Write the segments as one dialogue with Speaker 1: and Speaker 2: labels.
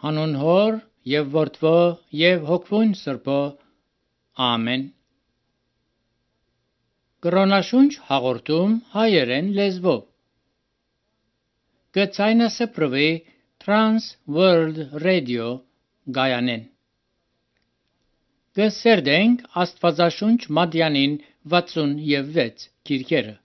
Speaker 1: Հանուն Հոր եւ Որդվո եւ Հոգվուն Սրբո Ամեն։ Կրոնաշունչ հաղորդում հայերեն լեզվով։ Գցայնասպրվի Trans World Radio Գայանեն։ Գսերդենք Աստվածաշունչ Մատյանին 66 քիրքերը։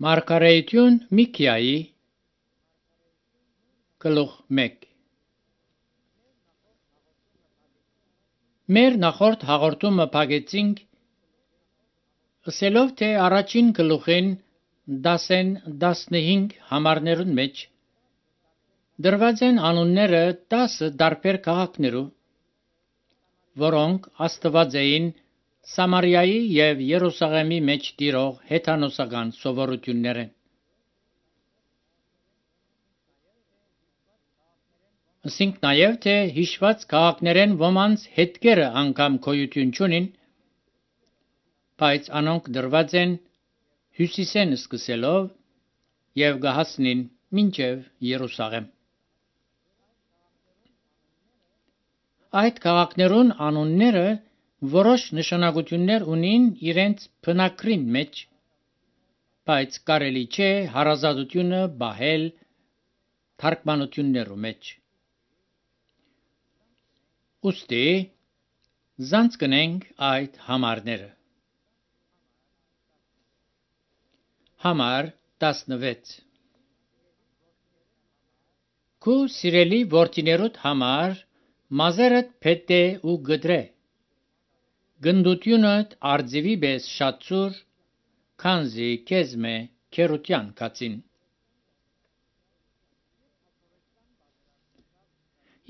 Speaker 1: Մարգարեություն Միքիայի գլուխ 1։ Մեր նախորդ հաղորդումը փակեցինք ասելով, թե առաջին գլուխին 10-15 համարներուն մեջ դրված են անունները 10 տարբեր քաղաքներու, որոնք Աստված էին Սամարիայի և Երուսաղեմի մեջ տիրող հեթանոսական սովորություններ են։ Ասինք նաև, թե հիշված քաղաքներեն ոմանց հետքերը անգամ գոյություն չունին, բայց անոնք դրված են հյուսիսեն սկսելով և գահասնին մինչև Երուսաղեմ։ Այդ քաղաքներուն անունները որոշ նշանակություններ ունին իրենց բնակրին մեջ, բայց կարելի չէ հարազատությունը բահել թարգմանություններու մեջ։ Ուստի զանցկնենք այդ համարները։ Համար 16 Քու սիրելի որդիներուդ համար մազերդ փետե ու գդրե, գնդությունդ արձիվի պես շատ ծուր, քանզի քեզմե քերության կացին։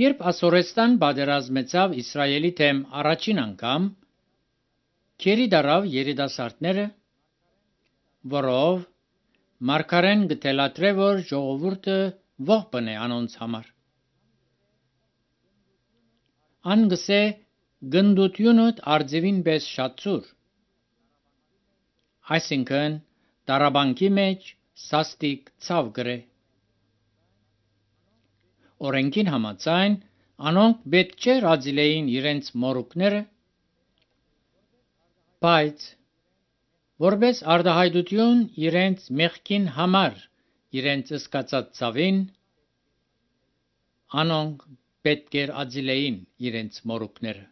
Speaker 1: Երբ Ասորեստան պատերազմեցավ Իսրայելի դեմ առաջին անգամ, քերի դարավ երիտասարդները, որով մարգարեն գտելատրե, որ ժողովուրդը ողբն է անոնց համար։ Անգսե գնդությունդ արձիվին պես շատ ծուր, այսինքն դարաբանքի մեջ սաստիկ ցավ գրե։ Օրենքին համաձայն անոնք պետք չէ ռազիլեին իրենց մորուքները, բայց որպես արդահայտություն իրենց մեղքին համար իրենց ըսկացած ցավին, անոնք պետք էր ածիլեին իրենց մորուքները։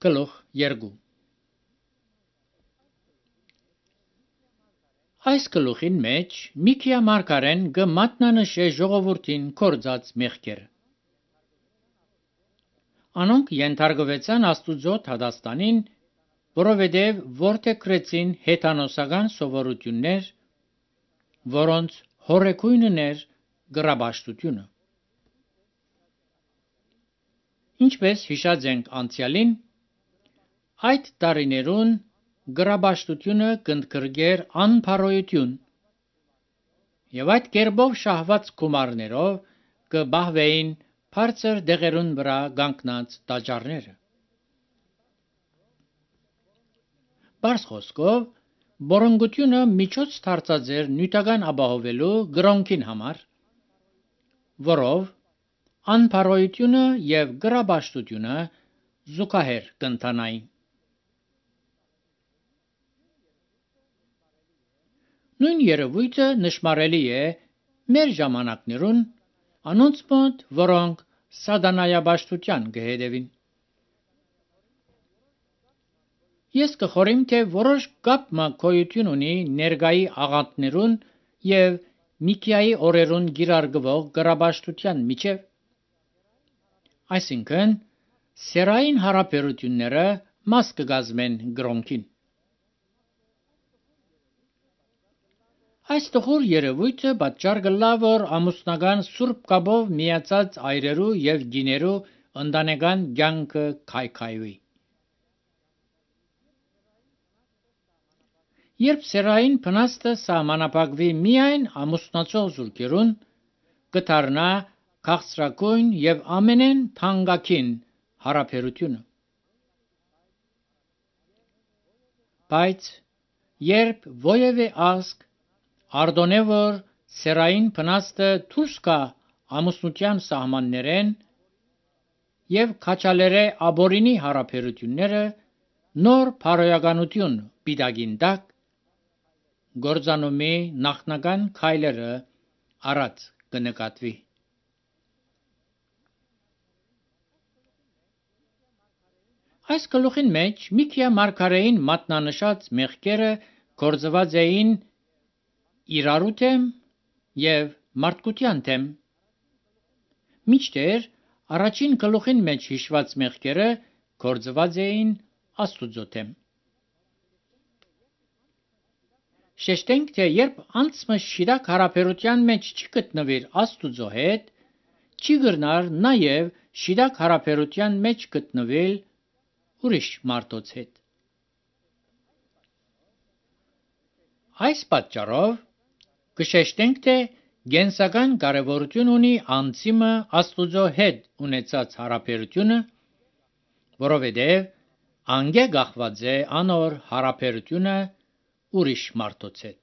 Speaker 1: Գլուխ 2 Այս գլուխին մեջ Միքիա մարգարեն գմատնանշե ժողովրդին կործած մեղքերը։ Անոնք ենթարկվեցան Աստուծո թադաստանին, որովհետև որդեգրեցին հեթանոսական սովորություններ, որոնց հորեկույնն էր գրաբաշխությունը։ Ինչպես հիշած ենք անցյալին, այդ տարիներուն գրաբաշխությունը կընդգրկեր անփարոյություն, եւ այդ կերպով շահված գումարներով կբահվեին բարձր դեղերուն վրա կանգնած տաճարները։ Բարձ խոսքով, բորոնգությունը միջոց դարձած էր նյութական ապահովելու գրոնքին համար, որով անփարոյությունը եւ գրաբաշխությունը զուգահեռ կընթանային։ Նույն երևույթը նշմարելի է մեր ժամանակներուն անոնց մոտ, որոնք սատանայաբաշխության կհետևին։ Ես կխորիմ, թե որոշ կապ գոյություն ունի ներկայի աղանդներուն եւ Միքիայի օրերուն գիրարգվող գրաբաշխության միջև, այսինքն սերային հարաբերությունները մաս կգազմեն գրոնքին։ Այս տխուր երևույթը պատճառ կլա, որ ամուսնական սուրբ կապով միացած այրերու եւ գիներու ընտանեկան կյանքը քայքայվի։ Երբ սերային փնաստը սահմանափակվի միայն ամուսնացող զույգերուն, կդառնա քաղցրակույն եւ ամենեն թանկագին հարաբերությունը։ Բայց երբ ովևէ ազգ արտոնե որ սերային փնաստը դուրս գա ամուսնության սահմաններեն եւ քաչալերե աբորինի հարաբերությունները նոր փարոյականություն պիտակին տակ, գործանումի նախնական քայլերը առաջ կնկատվի։ Այս գլուխին մեջ Միքիա մարգարեին մատնանշած մեղքերը գործված էին իրարու դեմ եւ մարդկության դեմ, մինչդեռ առաջին գլուխին մեջ հիշված մեղքերը գործված էին Աստուծո դեմ։ Շեշտենք, թե երբ անցքը շիրակ հարաբերության մեջ չի գտնվիր Աստուծո հետ, չի գտնար նաև շիրակ հարաբերության մեջ գտնվել ուրիշ մարդոց հետ։ Այս պատճառով կշեշտենք, թե գենսական կարևորություն ունի անձիմը Աստուծո հետ ունեցած հարաբերությունը, որովհետև անգե գախված է անոր հարաբերությունը ուրիշ մարդոց հետ։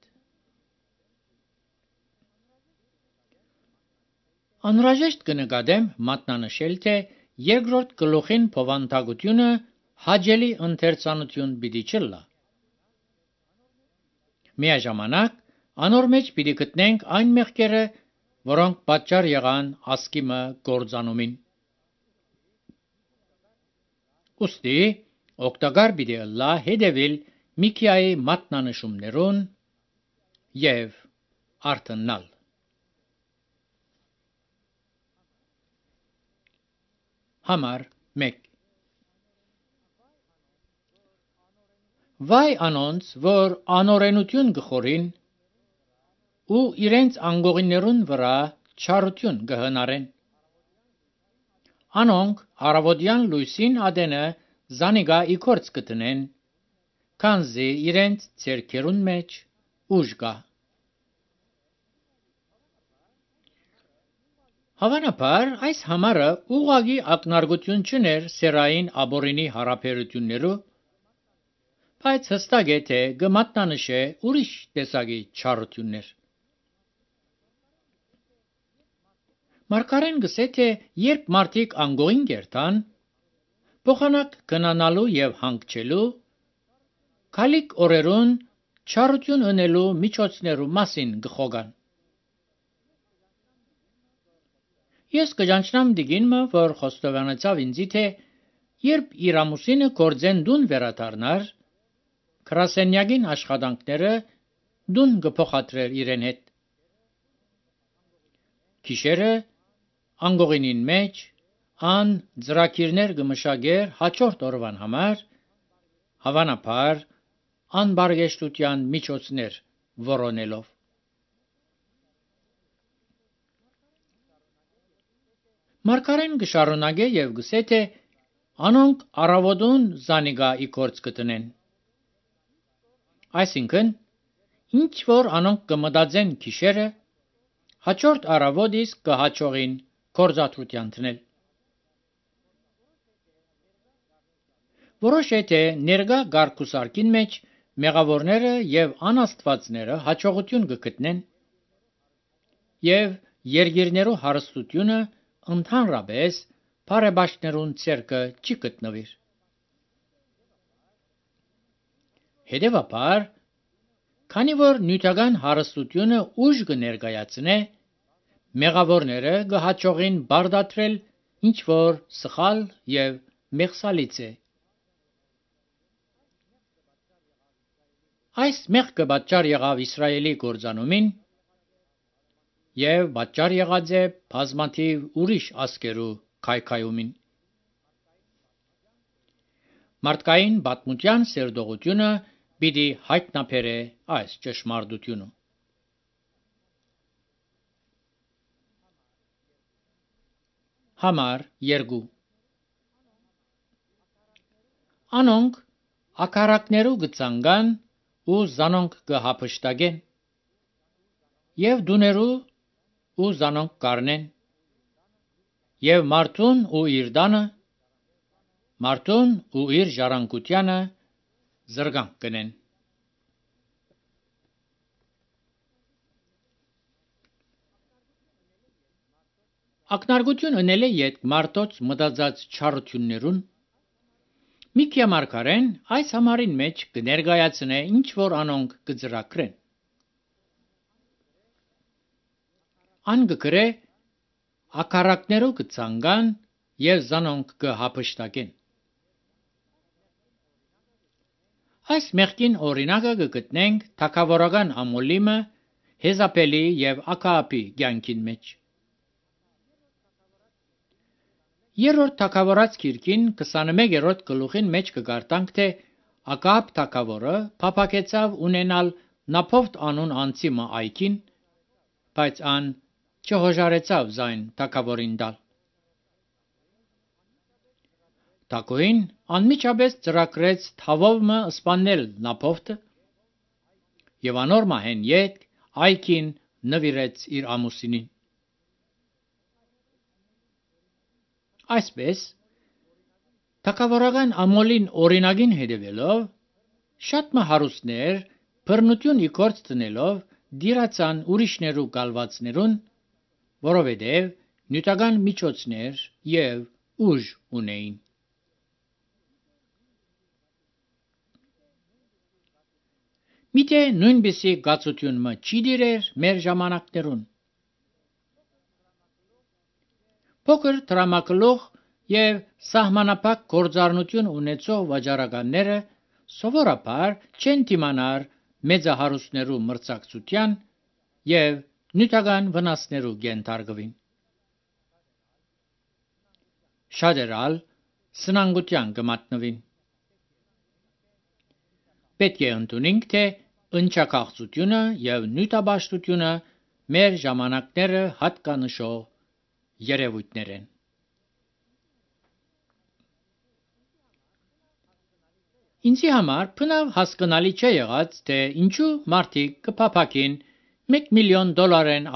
Speaker 1: Անհրաժեշտ կնկատեմ մատնանշել, թե երկրորդ գլուխին փոխանցությունը հաճելի ընթերցանություն պիտի չլա։ Միաժամանակ անոր մեջ պիտի գտնենք այն մեղքերը, որոնք պատճառ եղան ասկիմը գործանումին։ Ուստի օգտակար պիտի լա հետևել Միքիայի մատնանշումներուն եւ արթնալ։ Համար 1 Վայ անոնց, որ անօրենություն կխորին ու իրենց անգողիներուն վրա չարություն կհնարեն։ Անոնք առավոտյան լույսին ադենը զանիգա իքորց կտնեն, քանզի իրենց ձեռքերուն մեջ ուժ կա։ Հավանաբար այս համարը ուղղակի ակնարկություն չներ սերային աբորինի հարաբերություններու, բայց հստակ է, թե կմատնանշե ուրիշ տեսակի չարություններ։ Մարգարեն գսե, թե երբ մարդիկ անգողին կերտան, փոխանակ գնանալու եւ հանգչելու, քալիք օրերուն չարություն ունելու միջոցներու մասին գխոգան։ Ես կճանչնամ դիգինը, որ խոստովանեցավ ինձի, թե երբ իր ամուսինը գործեն դուն վերադառնար, գրասենյակին աշխատանքները դուն կփոխադրեր իրեն հետ։ Գիշերը անգողինին մեջ ան ծրակիրներ կմշակեր հաջորդ օրվան համար, հավանաբար անբարգեշտության միջոցներ որոնելով։ Մարգարեն կշարունակե եւ գսե թե անոնք առավոտուն զանիգա իգործ կտնեն։ Այսինքն, ինչ որ անոնք կմտածեն գիշերը, հաջորդ առավոտ իսկ կհաջողին գործադրության տնել։ Որոշ է թե ներկա գարկուսարկին մեջ մեղավորները եւ անաստվածները հաջողություն կգտնեն եւ երկիրներու հարստությունը ընդհանրապես բարեբաշխներուն ցերկը չի գտնվիր։ Հետևաբար, քանի որ նյութական հարստությունը ուժ կներկայացնե, մեղավորները կհաջողին բարդատրել ինչ որ սխալ եւ մեղսալից է։ Այս մեղքը պատճառ եղավ Իսրայելի կործանումին եւ պատճառ եղած է բազմաթիվ ուրիշ ազգերու քայքայումին։ Մարդկային պատմության սերտողությունը պիտի հայտնաբերե այս ճշմարտությունը։ Համար 2 Անոնք ակարակներու գծանգան ու զանոնք կհապշտագեն եւ դուներու ու զանոնք կառնեն եւ մարդուն ու իր դանը մարդուն ու իր ժառանգությանը զրկանք կնեն։ Ակնարկություն ընել է յետ մարդոց մտածած չարություններուն։ Միքիա մարգարեն այս համարին մեջ կներկայացնե ինչ որ անոնք կծրակրեն։ Ան կգրե ակարակներու կցանգան եւ զանոնք կհապշտակեն։ Այս մեղքին օրինակը կգտնենք թագավորական Ամոլիմը, Հեզապելի եւ Ակահապի կյանքին մեջ։ Երրորդ թագավորաց գիրքին 21-րդ գլուխին մեջ կգարտանք թե Ակահապ թագավորը փափակեցավ ունենալ Նափովտ անուն անձի մը այքին, բայց ան չհոժարեցավ զայն թագավորին տալ։ Թագուհին անմիջապես ծրագրեց թավով մը սպանել Նափովտը եւ անոր մահեն յետ այքին նվիրեց իր ամուսինին։ Այսպես, թագավորական Ամոլին օրինագին հետևելով, շատ մը հարուստներ բռնություն իգործ տնելով դիրացան ուրիշներու գալվածներուն, որովհետև նյութական միջոցներ եւ ուժ ունեին։ Միթե նույնպիսի գացություն մը չի դիրեր մեր ժամանակներուն։ Փոքր տրամակլող եւ սահմանապակ գործառնություն ունեցող վաճառականները սովորաբար չեն դիմանար մեծահարուստներու մրցակցության եւ նյութական վնասներու կենթարկվին։ Շատերալ սնանկության կմատնվին։ Պետք է ընդունենք, թե ընչակաղցությունը եւ նյութաբաշխությունը մեր ժամանակները հատկանշող երևույթներ են։ Ինձի համար բնավ հասկանալի չէ եղած, թե ինչու մարդիկ կփափակին $1 միլիոն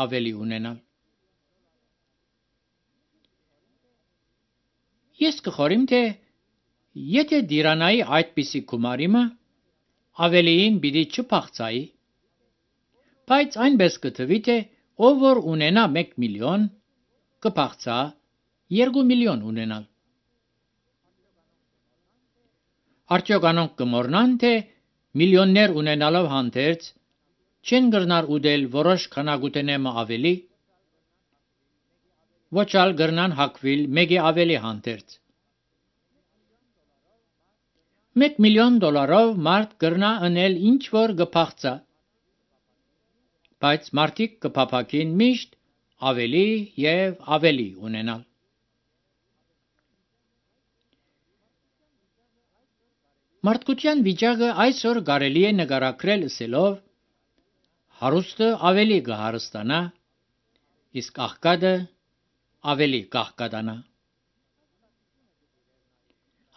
Speaker 1: ավելի ունենալ։ Ես կխորիմ, թե եթե դիրանայի այդպիսի գումարիմը ավելիին պիտի չփախցայի, բայց այնպես կթվի, թե ով որ ունենա 1 միլիոն կփախցա 2 միլիոն ունենալ։ Արդյոք անոնք կմոռնան, թե միլիոններ ունենալով հանդերձ չեն գրնար ուդել որոշ քանակուտենեմը ավելի, ոչալ գրնան հակվիլ մեկի ավելի հանդերձ։ $1 միլիոն մարդ գրնա ընել ինչ որ կփախցա, բայց մարդիկ կփափակին միշտ ավելի եւ ավելի ունենալ։ Մարդկության վիճակը այսօր կարելի է նկարագրել ասելով. հարուստը ավելի կհարստանա, իսկ աղքատը ավելի կաղքատանա։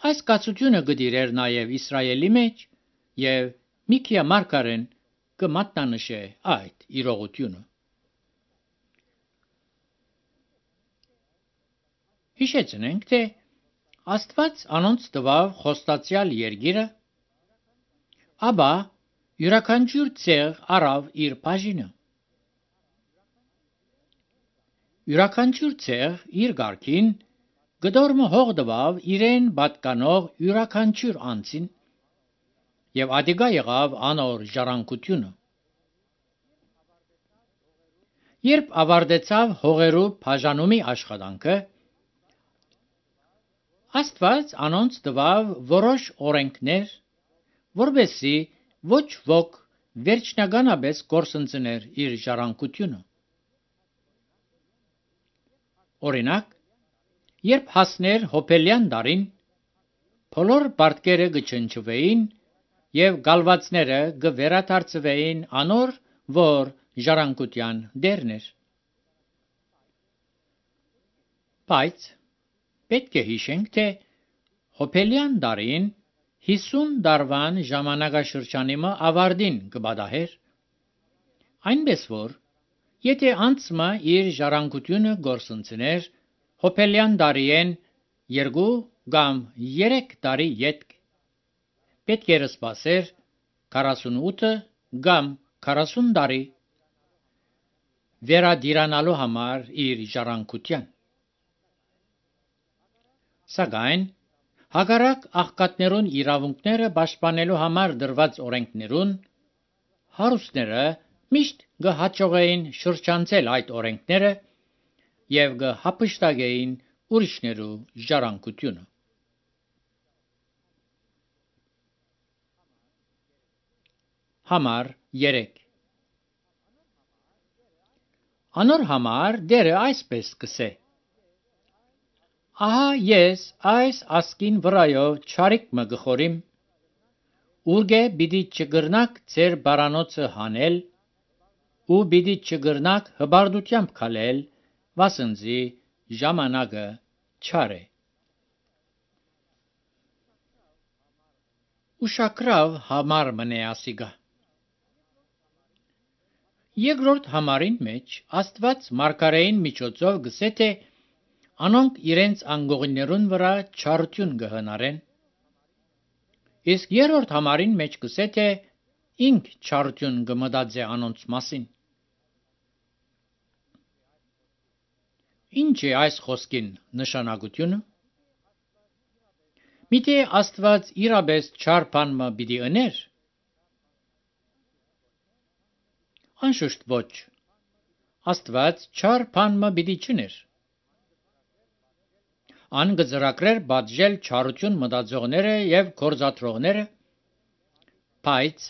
Speaker 1: Այս կացությունը գտիրեր նաև Իսրայելի մեջ եւ Միքիա մարգարեն կմատնանշե այդ իրողությունը։ Հիշեցնենք, թե Աստված անոնց տվավ խոստացյալ երկիրը, ապա յուրաքանչյուր ցեղ առավ իր բաժինը։ Յուրաքանչյուր ցեղ իր գարքին գդորմը հող տվավ իրեն պատկանող յուրաքանչյուր անձին եւ ադիգա եղավ անոր ժառանգությունը։ Երբ ավարտեցավ հողերու բաժանումի աշխատանքը, Աստված անոնց տվավ որոշ օրենքներ, որպեսզի ոչ ոք վերջնականապես կորսնցներ իր ժառանգությունը։ Օրինակ, երբ հասներ հոբելյան դարին, բոլոր պարտքերը կչնչվեին եւ գալվածները կվերադարձվեին անոր, որ ժառանգության դերն էր։ Բայց պետք է հիշենք, թե հոբելյան դարին 50 դարվան ժամանակաշրջանի ավարտին կպատահեր, այնպես որ եթե անցմը իր ժառանգությունը գործընծներ հոբելյան դարիեն 2 կամ 3 տարի ետք, պետք էր սպասեր 48 կամ 40 տարի վերադիրանալու համար իր ժառանգության։ Սակայն հակառակ աղքատներուն իրավունքները պաշտպանելու համար դրված օրենքներուն հարուստները միշտ կհաջողեին շրջանցել այդ օրենքները եւ կհափշտակեին ուրիշներու ժառանգությունը։ Համար 3 Անոր համար դերը այսպես կսե. Ահա ես այս ասկին վրայով չարիք մը գխորիմ, ուրգե պիտի չգրնակ ձեր բարանոցը հանել, ու պիտի չգրնակ հբարդությամբ քալել, վասնզի ժամանակը չար է։ Ուշակրավ համար մնե ասիգա։ Երկրորդ համարին մեջ Աստված մարգարեին միջոցով գսե թե անոնք իրենց անգողիներուն վրա չարություն կհնարեն, իսկ երրորդ համարին մեջ գսե թե ինք չարություն կմտածե անոնց մասին։ Ինչ է այս խոսքին նշանակությունը։ Միթե Աստված իրապես չար բան մը պիտի ըներ։ Անշուշտ ոչ։ Աստված չար բան մը պիտի չներ։ Ան կծրագրեր պատժել չարություն մտածողները եւ գործադրողները, բայց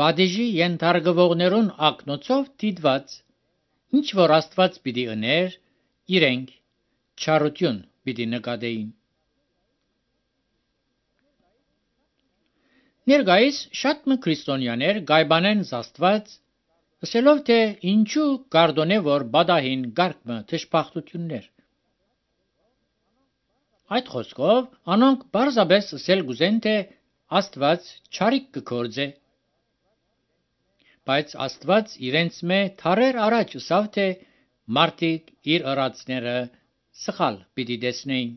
Speaker 1: պատիժի ենթարկվողներուն ակնոցով դիտված, ինչ որ Աստված պիտի ըներ, իրենք չարություն պիտի նկատեին։ Ներկայիս շատ մը քրիստոնյաներ գայբանեն Աստված, ասելով թե ինչու կարդոնե որ բադահին գարկմը թշփախտություններ։ Այդ խոսքով անոնք բարձաբես ասել գուզեն թե Աստված չարիք կգործե, բայց Աստված իրենց մե թարեր առաջ ասավ թե մարդիկ իր ըրացները սխալ պիտի տեսնեին։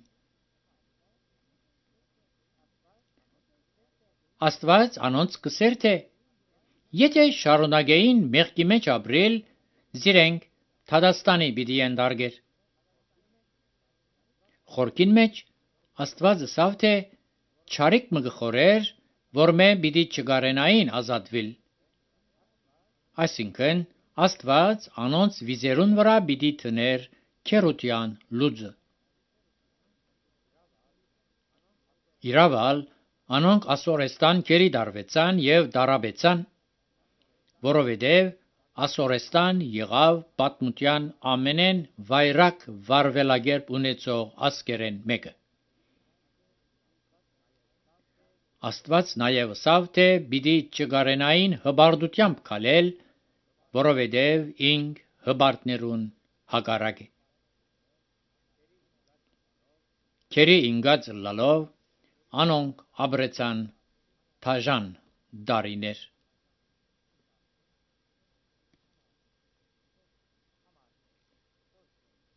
Speaker 1: Աստված անոնց կսեր թե եթե շարունակեին մեղքի մեջ ապրել, զիրենք Թադաստանի պիտի ենթարկեր։ Խորքին մեջ Աստված ասավ թե չարիք մը գխորեր, որ մե պիտի չգարենային ազատվել։ Այսինքն Աստված անոնց վիզերուն վրա պիտի թներ քերության լուծը։ Իրավալ անոնք ասորեստան գերի դարվեցան եւ դարաբեցան, որովհետեւ ասորեստան եղավ պատմության ամենեն վայրակ վարվելագերբ ունեցող ասկերեն մեկը։ Աստված նաև ասավ, թե պիտի չգարենային հբարդությամբ քալել, որովհետև ինք հբարդներուն հակառակ է։ Քերի ինգած լալով անոնք ապրեցան թաժան դարիներ։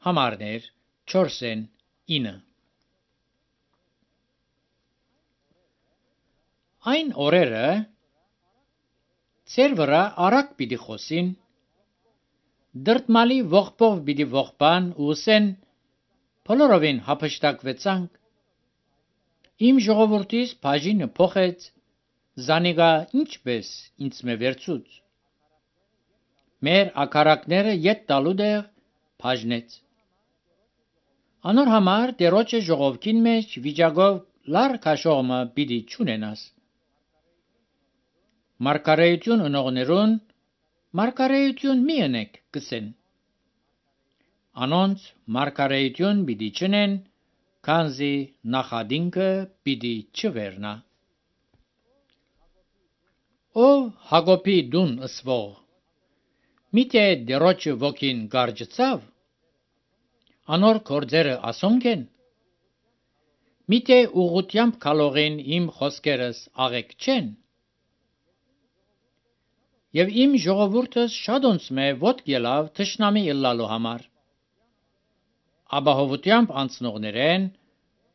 Speaker 1: Համարներ 4-9 Այն օրերը ծեր վրա արագ պիտի խոսին, դրտմալի ողբով պիտի ողբան ու ասեն, բոլորովին հափշտակվեցանք, իմ ժողովուրդիս բաժինը փոխեց, զանիգա ինչպես ինձ մե վերցուց, մեր ակարակները ետ տալու դեղ բաժնեց, անոր համար Տերոջը ժողովքին մեջ վիճակով լար քաշողմը պիտի չունենաս, մարգարեություն ունողներուն մարգարեություն մի ընեք կսեն, անոնց մարգարեություն պիտի չնեն, քանզի նախադինքը պիտի չվերնա։ Ով Հակոբի դուն ըսվող, միթե Տերոջը ոգին գարջծավ, անոր գործերը ասոնք են, միթե ուղղությամբ քալողին իմ խոսքերս աղեք չեն, եւ իմ ժողովուրդս շատոնց մե ոտք ելավ թշնամի ըլլալու համար, ապահովությամբ անցնողներեն,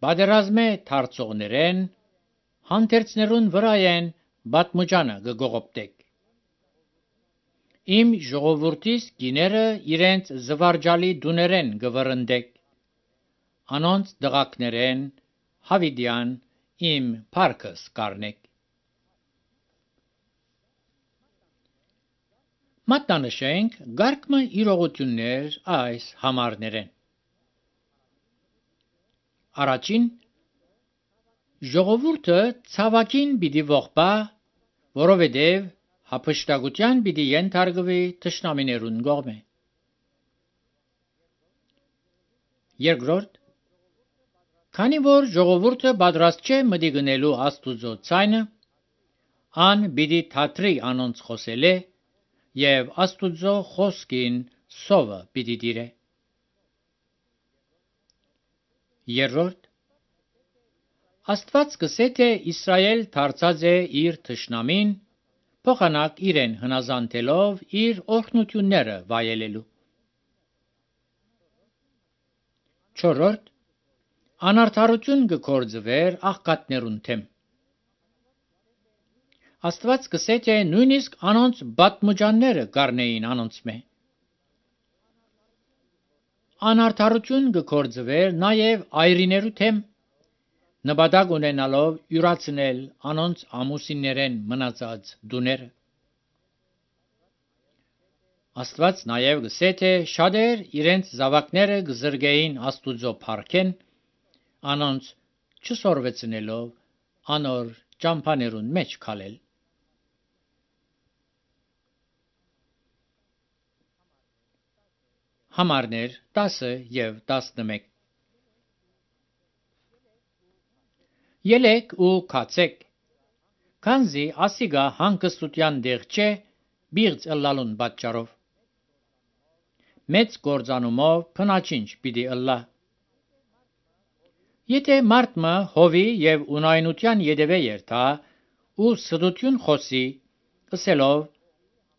Speaker 1: պատերազմե դարձողներեն, հանդերձներուն վրայեն պատմուջանը գողոպտեք։ Իմ ժողովուրդիս գիները իրենց զվարճալի դուներեն գվրընդեք, անոնց դղակներեն հավիդյան իմ փառքս կարնեք։ Մատնանշենք գարկմը իրողություններ այս համարներեն։ Առաջին ժողովուրդը ցավակին պիտի ողբա, որովհետև հափշտակության պիտի ենթարկվի թշնամիներուն կողմէ։ Երկրորդ քանի որ ժողովուրդը պատրաստ չէ մտի գնելու Աստուծո ցայնը, ան պիտի թատրի անոնց խոսելե եւ Աստուծո խոսքին սովը պիտի դիրե։ Երրորդ Աստված կսե թե Իսրայել դարձած է իր թշնամին, փոխանակ իրեն հնազանդելով իր օրհնությունները վայելելու։ Չորրորդ անարդարություն կգործվեր աղքատներուն թեմ։ Աստված կսե թե նույնիսկ անոնց պատմուջանները կառնեին անոնց մե։ Անարդարություն կգործվեր նաև այրիներու թեմ, նպատակ ունենալով յուրացնել անոնց ամուսիններեն մնացած դուները։ Աստված նաև կսե թե շատեր իրենց զավակները կզրկեին Աստուծո փառքեն, անոնց չսորվեցնելով անոր ճամփաներուն մեջ քալել։ Համարներ 10 եւ 11 Ելեք ու քացեք, քանզի ասիգա հանգստության դեղ չէ բիղծ ըլլալուն պատճառով։ Մեծ գործանումով փնաչինչ պիտի ըլլա։ Եթե մարդը հովի եւ ունայնության յետևե երթա ու սդություն խոսի, ըսելով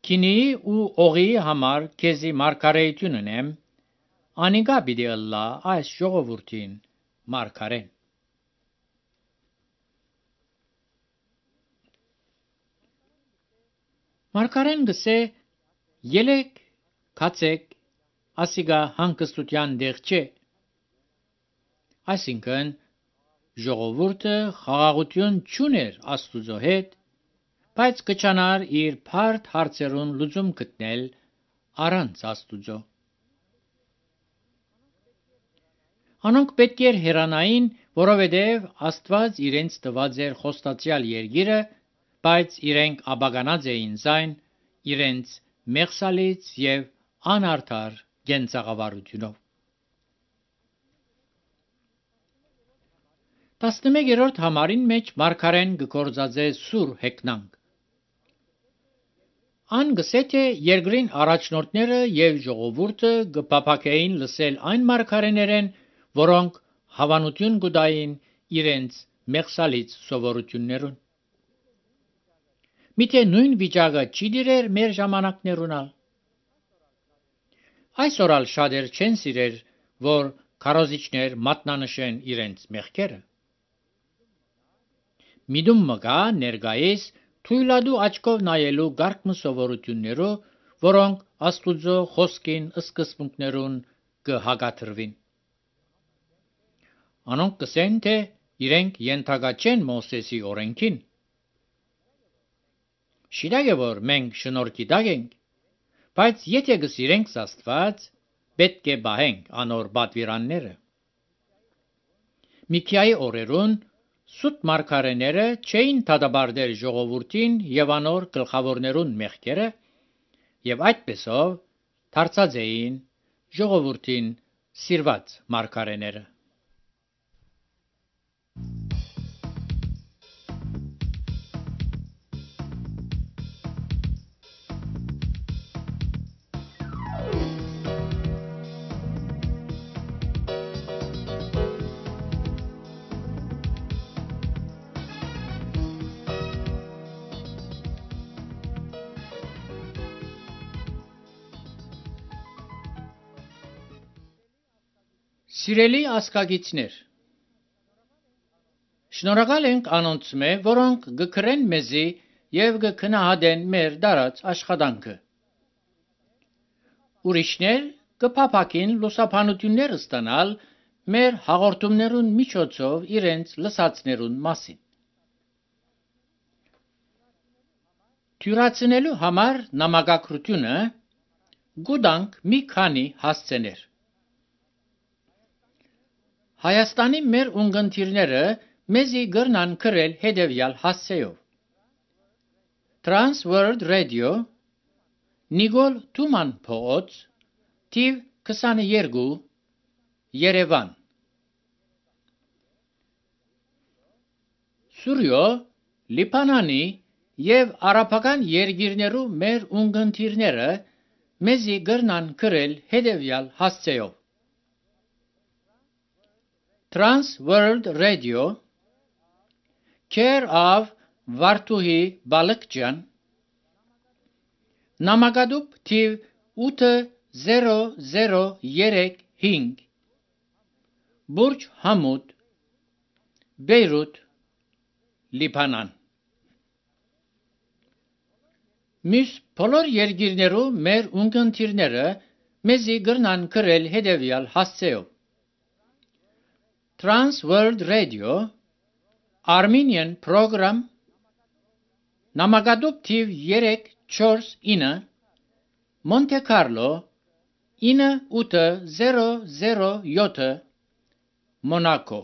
Speaker 1: քինիի ու օղի համար քեզի մարգարեություն ունեմ, անիկա պիտի ըլլա այս ժողովուրդին մարգարեն։ Մարգարեն գսե ելեք քացեք, ասիգա հանգստության դեղ չէ։ Այսինքն ժողովուրդը խաղաղություն չուներ Աստուծո հետ, բայց կչանար իր բարդ հարցերուն լուծում գտնել առանց Աստուծո։ Անոնք պետք էր հեռանային, որովհետև Աստված իրենց տված էր խոստացյալ երկիրը, բայց իրենք աբականած էին զայն իրենց մեղսալից եւ անարդար գենցաղավարությունով։ 11-րդ համարին մեջ մարգարեն գործածե սուր հեգնանք։ Ան գսե թե երկրին առաջնորդները եւ ժողովուրդը գփափակեին լսել այն մարգարեներեն, որոնք հավանություն գուտային իրենց մեղսալից սովորություններուն։ Միթե նույն վիճակը չի դիրեր մեր ժամանակներունալ։ Այսօր ալ շատեր չեն սիրեր, որ քարոզիչներ մատնանշեն իրենց մեղքերը։ Միդում մգա ներգայիս թույլադու աչքով նայելու գարկմը սովորություններով, որոնք Աստուծո խոսքին սկզբունքներուն կհագաթրվին։ Անոնք կսեն, թե իրենք ենթակա չեն Մովսեսի օրենքին։ Շիրակ է, որ մենք շնորհքի տակ ենք, բայց եթե գսիրենք Աստված, պետք է բահենք անոր պատվիրանները։ Միքիայի օրերուն սուտ մարգարեները չէին դատապարտել ժողովրդին եւ անոր գլխավորներուն մեղքերը եւ այդպեսով դարձած էին ժողովրդին սիրված մարգարեները։ Սիրելի ասկագիցներ, շնորհակալ ենք անոնց մե, որոնք գկրեն մեզի եւ գքնահատեն մեր դարած աշխատանքը։ Ուրիշներ կփափակին լուսաբանություններ ստանալ մեր հաղորդումներուն միջոցով իրենց լսածներուն մասին։ Թյուրացնելու համար նամակագրությունը գուտանք մի քանի հասցեներ։ Հայաստանի մեր ունգընտիրները մեզի գրնան գրել հետևյալ հասցեով. Trans World Radio, Նիկոլ Թուման փողոց, թիվ 22, Երևան։ Սուրյո, Լիբանանի եւ արաբական երկիրներու մեր ունգընտիրները մեզի գրնան գրել հետևյալ հասցեով. Trans World Radio, Care of Վարդուհի Բալկջյան, Նամակադուպ թիվ 8035, Բուրջ Համուդ, Բեյրութ, Լիբանան։ Մյուս բոլոր երկիրներու մեր ունգընտիրները մեզի գրնան գրել հետևյալ հասցեով. Trans World Radio, Armenian Program, Նամակադուպ թիվ 349, Monte Carlo, 9807, Monaco։